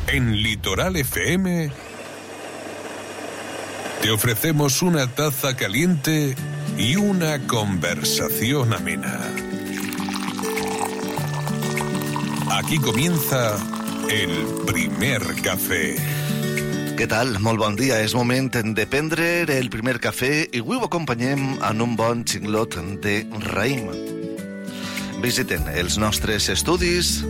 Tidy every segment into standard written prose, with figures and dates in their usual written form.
En Litoral FM te ofrecemos una taza caliente y una conversación amena. Aquí comienza el primer cafè. Què tal? Molt bon dia. És moment de prendre el primer cafè i avui ho acompanyem en un bon xinglot de raïm. Visiten els nostres estudis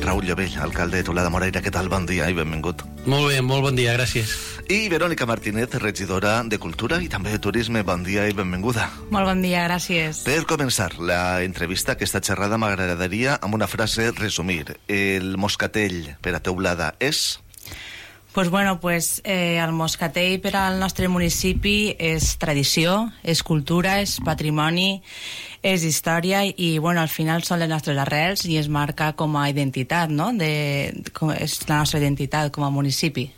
Raül Llovell, alcalde de Tola de Moraira. Què tal? Bon dia i benvingut. Molt bé, molt bon dia, gràcies. I Verònica Martínez, regidora de Cultura i també de Turisme. Bon dia i benvinguda. Molt bon dia, gràcies. Per començar la entrevista, aquesta xerrada, m'agradaria amb una frase resumir. El moscatell per a Teulada és... El moscatell per al nostre municipi és tradició, és cultura, és patrimoni, és història i al final són les nostres arrels i es marca com a identitat, no? És la nostra identitat com a municipi.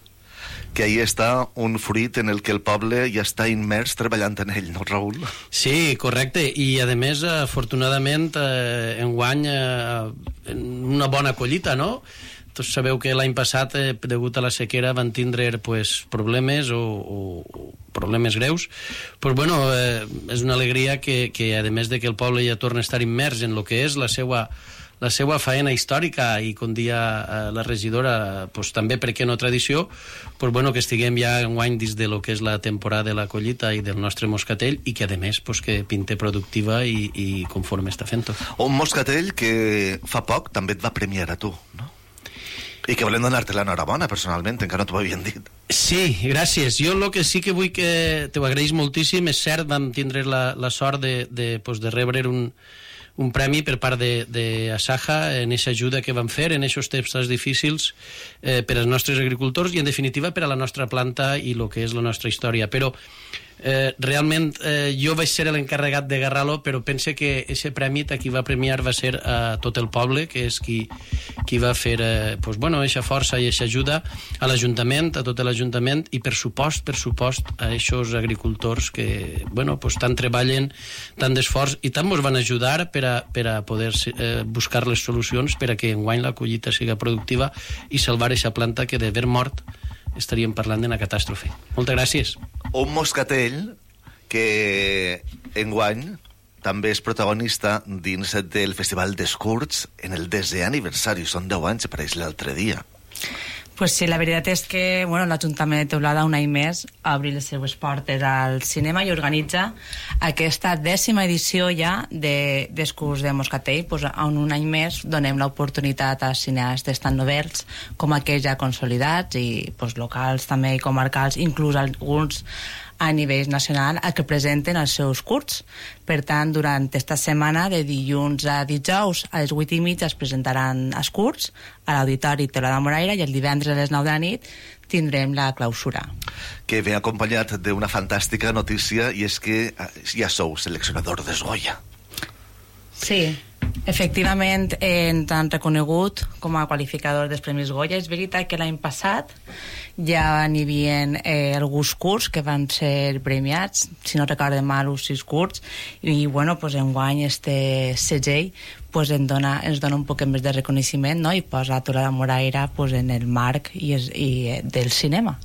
Que ahí està un fruit en el que el poble ja està immers treballant en ell, no, Raül? Sí, correcte, i a més, afortunadament, enguany una bona collita, no? Tots sabeu que l'any passat, degut a la sequera, van tindre problemes o problemes greus. És una alegria que a més de que el poble ja torna a estar immers en el que és la seva faena històrica i, com dia la regidora, també, per què no tradició, que estiguem ja enguany dins de lo que és la temporada de la collita i del nostre moscatell i que, a més, que pinte productiva i conforme està fent-ho. Un moscatell que fa poc també et va premiar a tu, no? I que volem donar-te l'enhorabona, personalment, encara no t'ho havien dit. Sí, gràcies. Jo el que sí que vull que t'ho agraeix moltíssim, és cert, vam tindre la sort de rebre un premi per part d'Asaja en aquesta ajuda que van fer en aquests temps difícils per als nostres agricultors i, en definitiva, per a la nostra planta i el que és la nostra història. Però realment jo vaig ser l'encarregat de agarrar-lo, però pense que aquest premi a qui va premiar va ser a tot el poble, que és qui va fer aquesta força i aquesta ajuda a l'Ajuntament, a tot l'Ajuntament i per supost a aquests agricultors que tant treballen, tant d'esforç i tant ens van ajudar per a poder buscar les solucions per a que enguany la collita siga productiva i salvar aquesta planta que d'haver mort estaríem parlant d'una catàstrofe. Moltes gràcies. Un moscatell que enguany també és protagonista dins del Festival d'Escurts en el 10è aniversari. Són 10 anys, apareix l'altre dia. Pues sí, la veritat és que l'Ajuntament de Teulada un any més obri les seues portes al cinema i organitza aquesta 10ª edició ja d'Escurts de Moscatell, on un any més donem l'oportunitat a cineastes tan novells com aquells ja consolidats i locals també i comarcals, inclús alguns a nivell nacional, a que presenten els seus curts. Per tant, durant aquesta setmana, de dilluns a dijous, a les 8:30 es presentaran els curts a l'Auditori Tola de Moraira i el divendres a les 9 de la nit tindrem la clausura. Que ve acompanyat d'una fantàstica notícia i és que ja sou seleccionador de Goya. Sí, efectivament ens han reconegut com a qualificador dels Premis Goya. És veritat que l'any passat ja n'hi havia alguns curts que van ser premiats, si no recordo mal, uns 6 curts, i enguany este segell ens dona un poc més de reconeixement, no? I posa Tola de Moraira en el marc del cinema.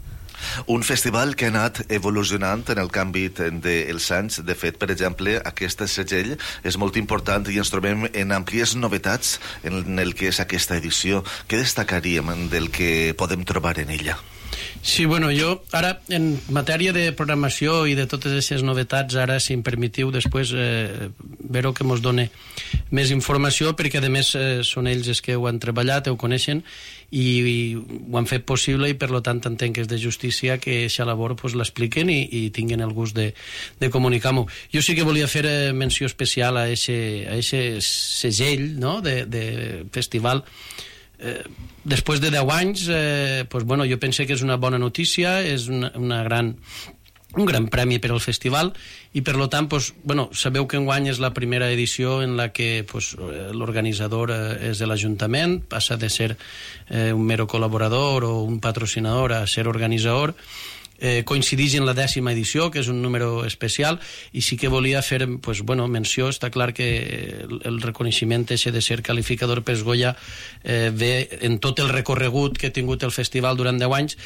Un festival que ha anat evolucionant en el canvi dels anys. De fet, per exemple, aquest segell és molt important i ens trobem en àmplies novetats en el que és aquesta edició. Què destacaríem del que podem trobar en ella? Sí, jo ara, en matèria de programació i de totes aquestes novetats, ara, si em permetiu, després veure que ens doni més informació, perquè a més són ells els que ho han treballat, ho coneixen i ho han fet possible i per tant entenc que és de justícia que aquesta labor l'expliquen i tinguin el gust de comunicar-m'ho. Jo sí que volia fer menció especial a aquest segell, no?, de festival. Després de 10 anys jo penso que és una bona notícia, és un gran premi per al festival i per tant sabeu que enguany és la primera edició en la que l'organitzador és de l'Ajuntament, passa de ser un mero col·laborador o un patrocinador a ser organitzador coincideix en la 10ª edició, que és un número especial, i sí que volia fer menció. Està clar que el reconeixement ese de ser qualificador Pes Goya ve en tot el recorregut que ha tingut el festival durant 10 anys,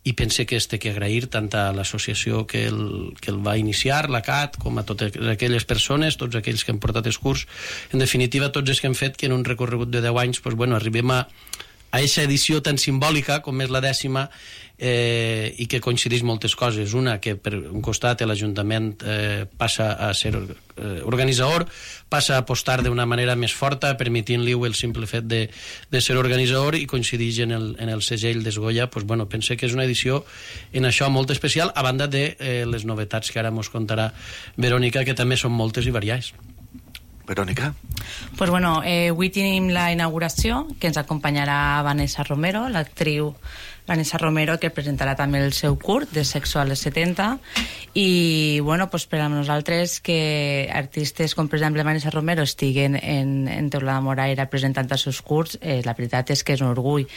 i pense que té que agrair tant a l'associació que el va iniciar, la CAT, com a totes aquelles persones, tots aquells que han portat el curs, en definitiva tots els que han fet que en un recorregut de 10 anys arribem a aquesta edició tan simbòlica com és la 10ª, i que coincideix moltes coses. Una, que per un costat l'Ajuntament passa a ser organitzador, passa a apostar d'una manera més forta, permitint-li el simple fet de ser organitzador, i coincideix en el segell d'Esgoya. Pense que és una edició en això molt especial, a banda de les novetats que ara mos contarà Verònica, que també són moltes i variades. Verònica? Pues avui tenim la inauguració, que ens acompanyarà Vanessa Romero, l'actriu Vanessa Romero, que presentarà també el seu curt de Sexo a les 70, i per a nosaltres que artistes com per exemple Vanessa Romero estiguen en Teulada Moraira presentant els seus curts, la veritat és que és un orgull.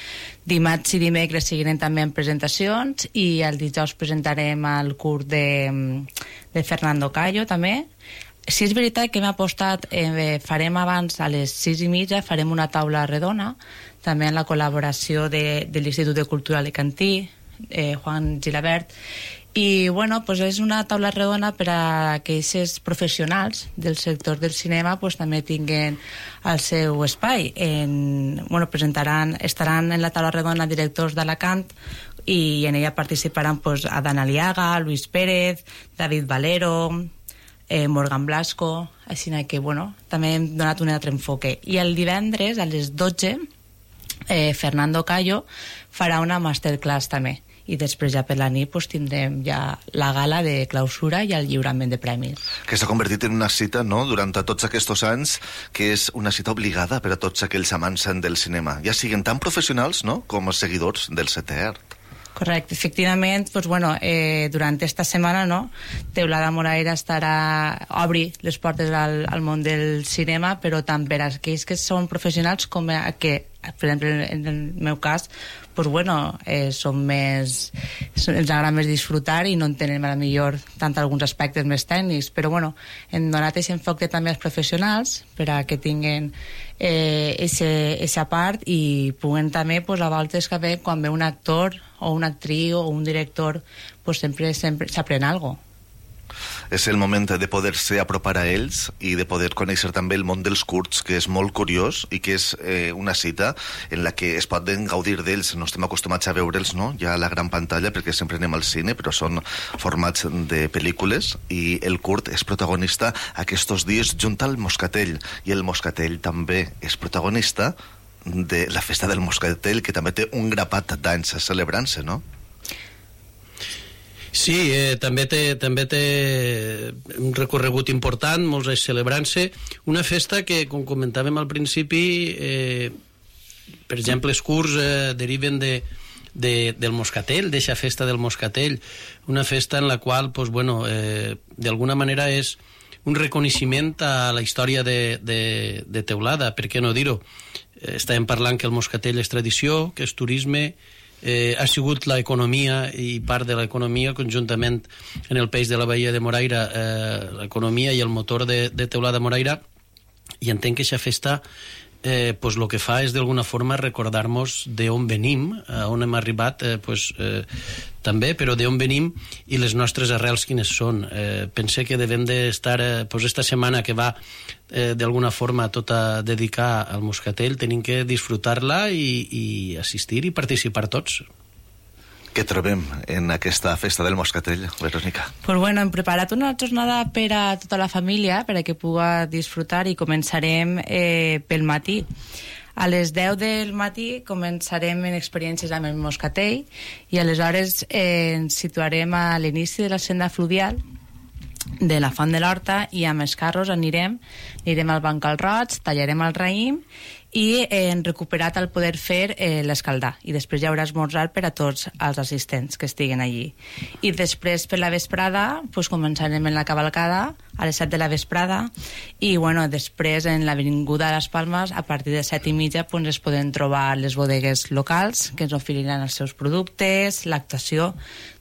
Dimarts i dimecres seguirem també en presentacions, i el dijous presentarem el curt de Fernando Callo també. Sí, és veritat que hem apostat, farem abans a les 6:30, farem una taula redona, també en la col·laboració de l'Institut de Cultura Alicantí, Juan Gilabert, i és una taula redona per a aquells professionals del sector del cinema també tinguin el seu espai. Estaran en la taula redona directors d'Alacant, i en ella participaran Adán Aliaga, Luis Pérez, David Valero, Morgan Blasco, així que també hem donat un altre enfoque. I el divendres a les 12 Fernando Callo farà una masterclass també, i després ja per la nit tindrem ja la gala de clausura i el lliurament de premis. Que s'ha convertit en una cita, durant tots aquests anys, que és una cita obligada per a tots aquells amants del cinema, ja siguin tan professionals com els seguidors del setè art. Correcte, efectivament, durant esta setmana Teulada Moraira obri les portes al món del cinema, però tant per a aquells que són professionals com a que, per exemple, en el meu cas, ens agrada més disfrutar i no entenem a la millor tant alguns aspectes més tècnics, però hem donat aquest enfoc també als professionals per a que tinguin aquesta part, i puguen també a voltes que quan ve un actor o una actriu o un director sempre s'aprèn alguna cosa. És el moment de poder-se apropar a ells i de poder conèixer també el món dels curts, que és molt curiós i que és una cita en la que es poden gaudir d'ells. No estem acostumats a veure'ls ja a la gran pantalla, perquè sempre anem al cine, però són formats de pel·lícules, i el curt és protagonista aquests dies junt al Moscatell, i el Moscatell també és protagonista de la festa del Moscatell, que també té un grapat d'anys celebrant-se, no? Sí, també té un recorregut important, molts anys celebrant-se, una festa que, com comentàvem al principi, per exemple, els curts deriven del Moscatell, d'eixa festa del Moscatell, una festa en la qual, d'alguna manera és un reconeixement a la història de Teulada, per què no dir-ho? Estàvem parlant que el Moscatell és tradició, que és turisme, ha sigut l'economia i part de l'economia conjuntament en el peix de la Baia de Moraira, l'economia i el motor de Teulada Moraira, i entenc que aquesta festa el que fa és d'alguna forma recordar-nos d'on venim, on hem arribat també, però d'on venim i les nostres arrels quines són. Pense que devem d'estar esta setmana que va d'alguna forma tota dedicar al Moscatell, tenim que disfrutar-la i assistir i participar tots. Què trobem en aquesta festa del Moscatell, Verònica? Hem preparat una jornada per a tota la família, per a que pugui disfrutar, i començarem pel matí. A les 10 del matí començarem en experiències amb el Moscatell, i aleshores ens situarem a l'inici de la senda fluvial de la Font de l'Horta, i amb els carros anirem al Bancal Roig, tallarem el raïm i hem recuperat el poder fer l'escaldar, i després hi haurà esmorzar per a tots els assistents que estiguen allí. I després per la vesprada pues, començarem en la cavalcada a les 7 de la vesprada, i bueno, després en l'Avinguda de les Palmes a partir de 7:30 pues, es poden trobar les bodegues locals que ens oferiran els seus productes, l'actuació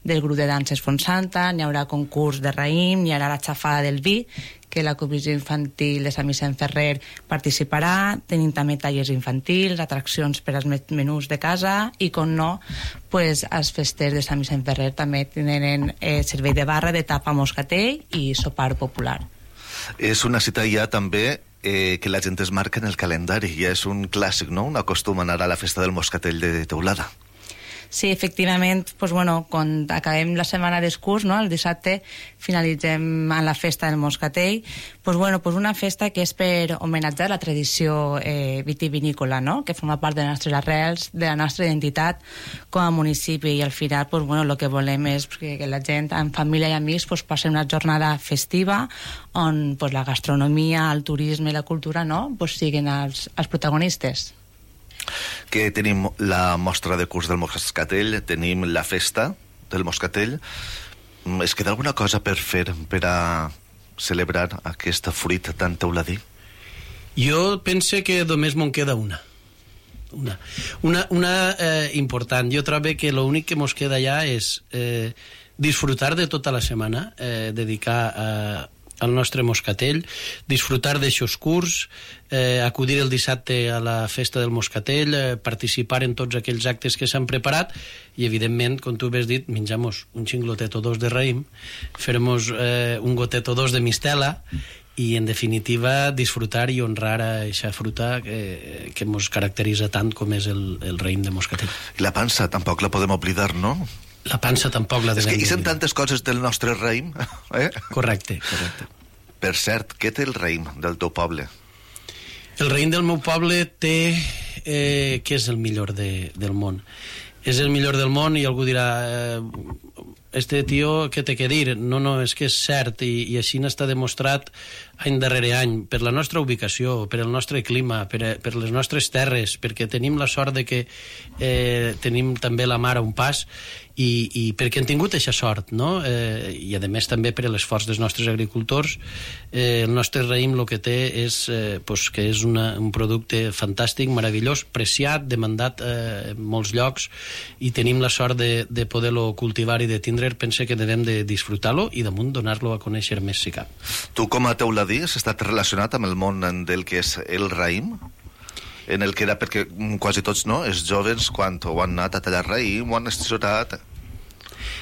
del grup de danses Fontsanta, n'hi haurà concurs de raïm, n'hi haurà la xafada del vi, que la comissió infantil de Sant Vicent Ferrer participarà, tenim també tallers infantils, atraccions per als menús de casa i, com no, pues, els festers de Sant Vicent Ferrer també tenen servei de barra, de tapa moscatell i sopar popular. És una cita ja també que la gent es marca en el calendari, ja és un clàssic, no? Un acostum a anar a la festa del moscatell de Teulada. Sí, efectivament, pues, bueno, quan acabem la setmana d'escurs, no? El dissabte finalitzem a la festa del moscatell, pues, bueno, pues una festa que és per homenatjar la tradició vitivinícola, no? Que forma part de les nostres arrels, de la nostra identitat com a municipi, i al final pues, bueno, el que volem és que la gent en família i amics pues, passi una jornada festiva on pues, la gastronomia, el turisme i la cultura no? Pues, siguin els protagonistes. Que tenim la mostra de curs del moscatell, tenim la festa del moscatell. Es queda alguna cosa per fer per a celebrar aquesta fruita tan teuladí? Jo pense que només me'n queda una important. Jo trobo que l'únic que mos queda ja és disfrutar de tota la setmana, dedicar al nostre moscatell, disfrutar d'aixòs curs, acudir el dissabte a la festa del moscatell, participar en tots aquells actes que s'han preparat i, evidentment, com tu has dit, menjar-nos un xinglotet o dos de raïm, fer-nos un gotet o dos de mistela i, en definitiva, disfrutar i honrar a aquesta fruta que ens caracteritza tant com és el raïm de moscatell. I la pansa tampoc la podem oblidar, no? La pansa tampoc la devem oblidar. És que hi són tantes coses del nostre raïm. Correcte. Per cert, què té el raïm del teu poble? El raïm del meu poble té que és el millor del món. És el millor del món i algú dirà este tio, què té que dir? No, és que és cert i així n'està demostrat any darrere any, per la nostra ubicació, per el nostre clima, per les nostres terres, perquè tenim la sort de que tenim també la mar a un pas i perquè hem tingut aquesta sort, no? I a més també per l'esforç dels nostres agricultors. El nostre raïm el que té és que és un producte fantàstic, meravellós, preciat, demandat en molts llocs, i tenim la sort de poder-lo cultivar i de tindre. Pense que devem de disfrutar-lo i damunt donar-lo a conèixer més si cap. Tu com a teuladí has estat relacionat amb el món del que és el raïm? En el que era, perquè quasi tots, no?, els joves, quan ho han anat a tallar raïm, ho han estisorat.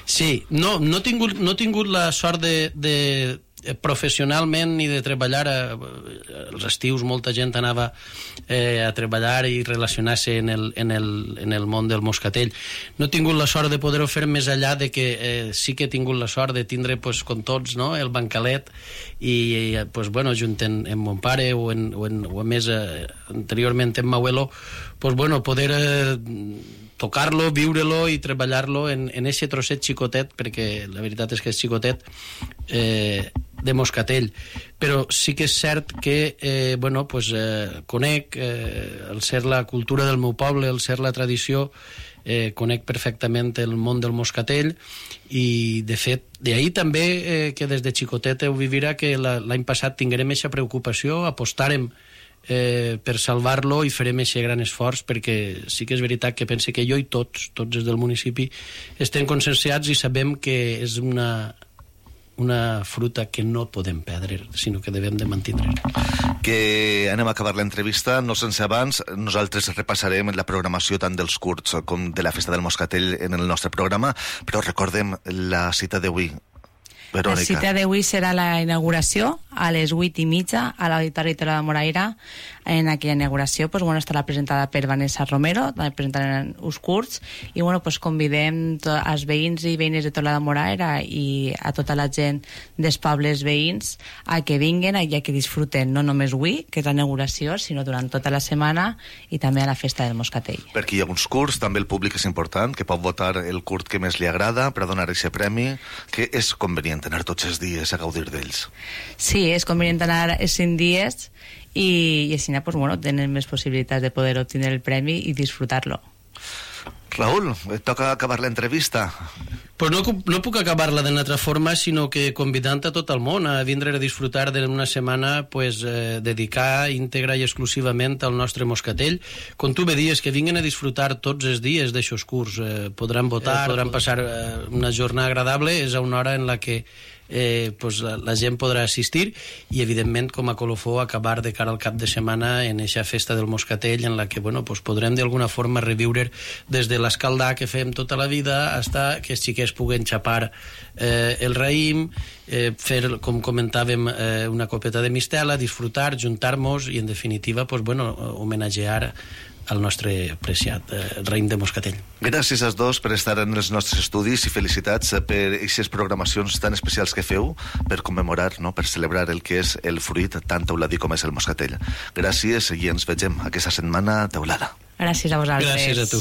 Sí, no he tingut la sort de professionalment ni de treballar als estius molta gent anava a treballar i relacionar-se en el món del moscatell. No he tingut la sort de poder-ho fer més enllà de que sí que he tingut la sort de tindre, com tots, no, el bancalet i junt amb mon pare o a més anteriorment amb m'abuelo, poder tocar-lo, viure-lo i treballar-lo en aquest trosset xicotet, perquè la veritat és que és xicotet, de moscatell. Però sí que és cert que conec, al ser la cultura del meu poble, al ser la tradició, conec perfectament el món del moscatell i, de fet, d'ahir també que des de xicotet ho vivirà que l'any passat tinguérem aquesta preocupació, apostarem per salvar-lo i farem aquest gran esforç, perquè sí que és veritat que pense que jo i tots des del municipi estem conscienciats i sabem que és una fruta que no podem perdre, sinó que devem de mantindre. Que anem a acabar l'entrevista, no sense abans. Nosaltres repassarem la programació tant dels curts com de la festa del moscatell en el nostre programa, però recordem la cita d'avui. Verònica. La cita d'avui serà la inauguració a les 8:30 a l'Auditori de la Moraira. En aquella inauguració estarà presentada per Vanessa Romero, també presentaran uns curts, i convidem els veïns i veïnes de Tola de Moraira i a tota la gent dels pobles veïns a que vinguen i a que disfruten no només avui, que és la inauguració, sinó durant tota la setmana i també a la festa del moscatell. Perquè hi ha uns curts, també el públic és important, que pot votar el curt que més li agrada per a donar aquest premi, que és convenient anar tots els dies a gaudir d'ells. Sí, és convenient anar els 5 dies i així pues, bueno, tenen més possibilitats de poder obtenir el premi i disfrutar-lo. Raúl, et toca acabar l'entrevista. Pues no puc acabar-la d'una altra forma, sinó que convidant a tot el món a vindre a disfrutar d'una setmana pues, dedicar íntegra i exclusivament al nostre moscatell. Com tu bé dies, que vinguin a disfrutar tots els dies d'aixòs curs. Podran votar, podran passar una jornada agradable, és a una hora en la que pues la gent podrà assistir i evidentment com a colofó acabar de cara al cap de setmana en eixa festa del moscatell en la que bueno, pues podrem d'alguna forma reviure des de l'escaldar que fem tota la vida fins que els xiquets puguen xapar el raïm, fer com comentàvem una copeta de mistela, disfrutar, juntar-nos i en definitiva pues, bueno, homenatgear al nostre apreciat raïm de moscatell. Gràcies als dos per estar en els nostres estudis i felicitats per aquestes programacions tan especials que feu per commemorar, no? Per celebrar el que és el fruit tan teuladí com és el moscatell. Gràcies i ens vegem aquesta setmana teulada. Gràcies a vosaltres. Gràcies a tu.